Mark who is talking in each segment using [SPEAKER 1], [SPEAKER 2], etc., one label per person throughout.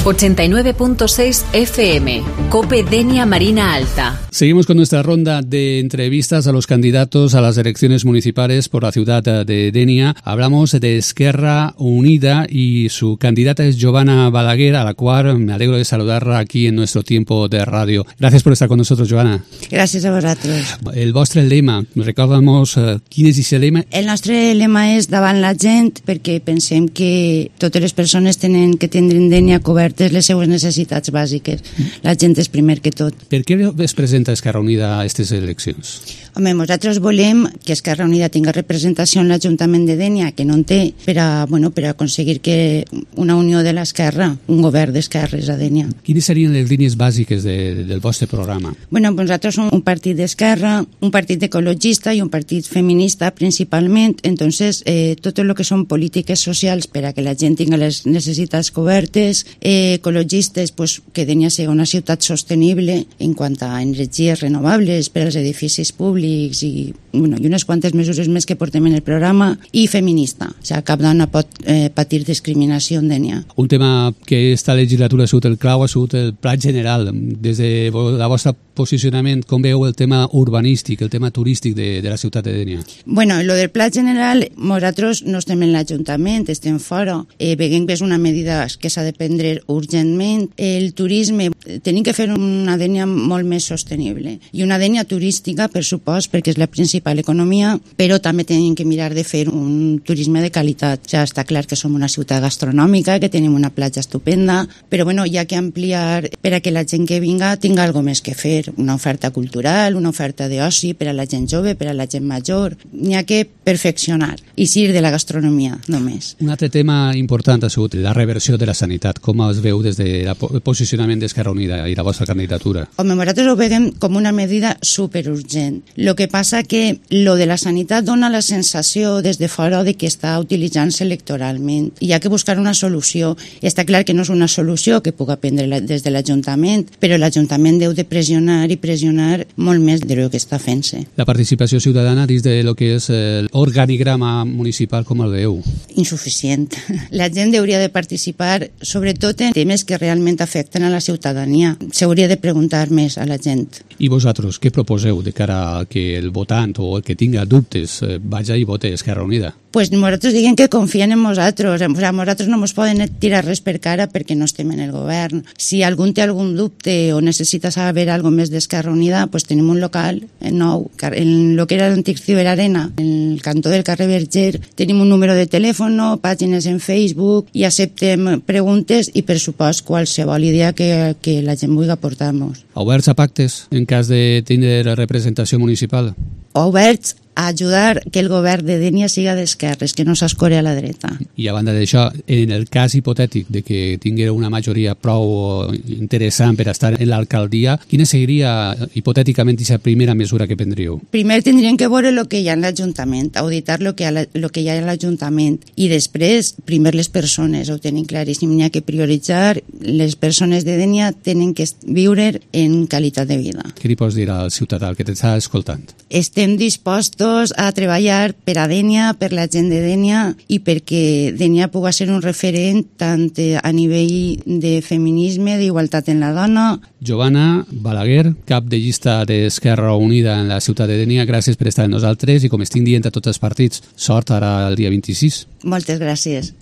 [SPEAKER 1] 89.6 FM, COPE Denia Marina Alta.
[SPEAKER 2] Seguimos con nuestra ronda de entrevistas a los candidatos a las elecciones municipales por la ciudad de Denia. Hablamos de Esquerra Unida y su candidata es Giovanna Balaguer, a la cual me alegro de saludarla aquí en nuestro tiempo de radio. Gracias por estar con nosotros, Giovanna.
[SPEAKER 3] Gràcies a vosaltres.
[SPEAKER 2] El vostre lema, recorda'ns quin és aquest lema?
[SPEAKER 3] El nostre lema és davant la gent, perquè pensem que totes les persones tenen que tindre en Denia cobertes les seues necessitats bàsiques. La gent és primer que tot.
[SPEAKER 2] Per què es presenta Esquerra Unida a aquestes eleccions?
[SPEAKER 3] Home, nosaltres volem que Esquerra Unida tinga representació en l'Ajuntament de Denia, que no en té, per a aconseguir que una unió de l'esquerra, un govern d'esquerres a Denia.
[SPEAKER 2] Quines serien les línies bàsiques del vostre programa?
[SPEAKER 3] Bueno, nosaltres som un partit d'esquerra, un partit ecologista i un partit feminista principalment, entonces tot el que són polítiques socials per a que la gent tingui les necessitats cobertes, ecologistes, pues, que Denia sigui una ciutat sostenible en quant a energies renovables per als edificis públics i unes quantes mesures més que portem en el programa, i feminista, o sigui, cap dona pot patir discriminació en Denia.
[SPEAKER 2] Un tema que esta legislatura ha sigut el clau ha sigut el pla general. Des de la vostra posicionament, com veu el tema urbanístic, el tema turístic de la ciutat de Denia?
[SPEAKER 3] Bueno, lo del pla general, nosaltres no estem en l'Ajuntament, estem fora. Veiem que és una medida que s'ha de prendre urgentment. El turisme, tenim que fer una Denia molt més sostenible. I una Denia turística, per supost, perquè és la principal economia, però també tenim que mirar de fer un turisme de qualitat. Ja està clar que som una ciutat gastronòmica, que tenim una platja estupenda, però bueno, hi ha que ampliar per a que la gent que vinga tinga alguna més que fer, una oferta cultural, una oferta d'oci per a la gent jove, per a la gent major. N'hi ha que perfeccionar i sir de la gastronomia només.
[SPEAKER 2] Un altre tema important ha sigut la reversió de la sanitat. Com es veu des del posicionament d'Esquerra Unida i la vostra candidatura?
[SPEAKER 3] Home, nosaltres ho veiem com una medida superurgent. Lo que passa que lo de la sanitat dona la sensació des de fora de que està utilitzant-se electoralment. Hi ha que buscar una solució. Està clar que no és una solució que puga prendre des de l'Ajuntament, però l'Ajuntament deu de pressionar i pressionar molt més del que està fent-se.
[SPEAKER 2] La participació ciutadana dins de lo que és l'organigrama municipal, com el veieu?
[SPEAKER 3] Insuficient. La gent hauria de participar sobretot en temes que realment afecten a la ciutadania. S'hauria de preguntar més a la gent.
[SPEAKER 2] I vosaltres, què proposeu de cara a que el votant o el que tinga dubtes vagi i vote Esquerra Unida?
[SPEAKER 3] Pues nosaltres diguem que confien en nosaltres. O sigui, nosaltres no ens poden tirar res per cara perquè no estem en el govern. Si algú té algun dubte o necessita saber alguna més d'Esquerra Unida, pues tenim un local nou, en lo que era l'antic Ciberarena, en el cantó del carrer Verger. Tenim un número de telèfon, pàgines en Facebook, i acceptem preguntes i, per supost, qualsevol idea que la gent vulgui aportar-nos.
[SPEAKER 2] Oberts a pactes en cas de tindre representació municipal?
[SPEAKER 3] Oberts a ajudar que el govern de Denia siga d'esquerres, que no s'escore a la dreta.
[SPEAKER 2] I a banda d'això, en el cas hipotètic de que tinguera una majoria prou interessant per estar en l'alcaldia, quina seria hipotèticament aquesta primera mesura que prendríeu?
[SPEAKER 3] Primer tindríem que veure el que hi ha en l'Ajuntament, auditar el que hi ha en l'Ajuntament, i després, primer les persones, ho tenim claríssim, n'hi ha que prioritzar, les persones de Denia tenen que viure en qualitat de vida.
[SPEAKER 2] Què li pots dir al ciutadà que t'està escoltant?
[SPEAKER 3] Estem dispostos a treballar per a Denia, per la gent de Denia, i perquè Denia pugui ser un referent tant a nivell de feminisme, d'igualtat en la dona.
[SPEAKER 2] Giovanna Balaguer, cap de llista d'Esquerra Unida en la ciutat de Denia, gràcies per estar amb nosaltres i, com estic dient a tots els partits, sort ara el dia 26.
[SPEAKER 3] Moltes gràcies.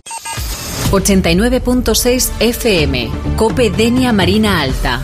[SPEAKER 1] 89.6 FM, COPE Denia Marina Alta.